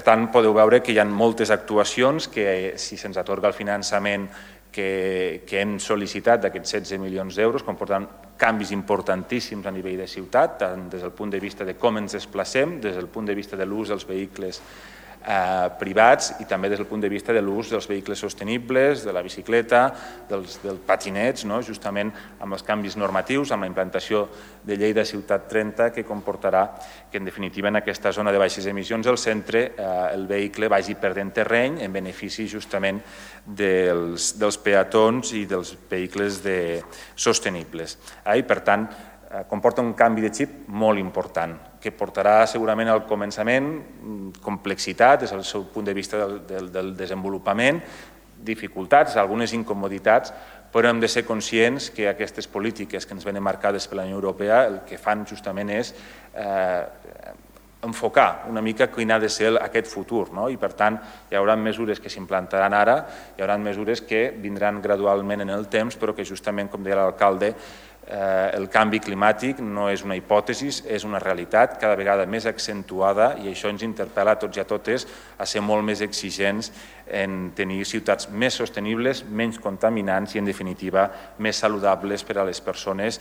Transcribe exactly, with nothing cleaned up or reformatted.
tant, podeu veure que hi ha moltes actuacions que, si se'ns atorga el finançament que, que hem sol·licitat d'aquests setze milions d'euros, comportant canvis importantíssims a nivell de ciutat, tant des del punt de vista de com ens desplacem, des del punt de vista de l'ús dels vehicles eh, privats i també des del punt de vista de l'ús dels vehicles sostenibles, de la bicicleta, dels, dels patinets, no? Justament amb els canvis normatius, amb la implantació de Llei de Ciutat trenta, que comportarà que, en definitiva, en aquesta zona de baixes emissions, el centre, eh, el vehicle vagi perdent terreny en benefici justament dels, dels peatons i dels vehicles de, sostenibles. Eh? I, per tant, eh, comporta un canvi de xip molt important, que portarà segurament al començament complexitat des del seu punt de vista del, del, del desenvolupament, dificultats, algunes incomoditats, però hem de ser conscients que aquestes polítiques que ens venen marcades per la Unió Europea el que fan justament és eh, enfocar una mica quin ha de ser aquest futur, no? I per tant hi haurà mesures que s'implantaran ara, hi haurà mesures que vindran gradualment en el temps, però que justament, com deia l'alcalde, eh, el canvi climàtic no és una hipòtesi, és una realitat cada vegada més accentuada i això ens interpel·la a tots i a totes a ser molt més exigents en tenir ciutats més sostenibles, menys contaminants i, en definitiva, més saludables per a les persones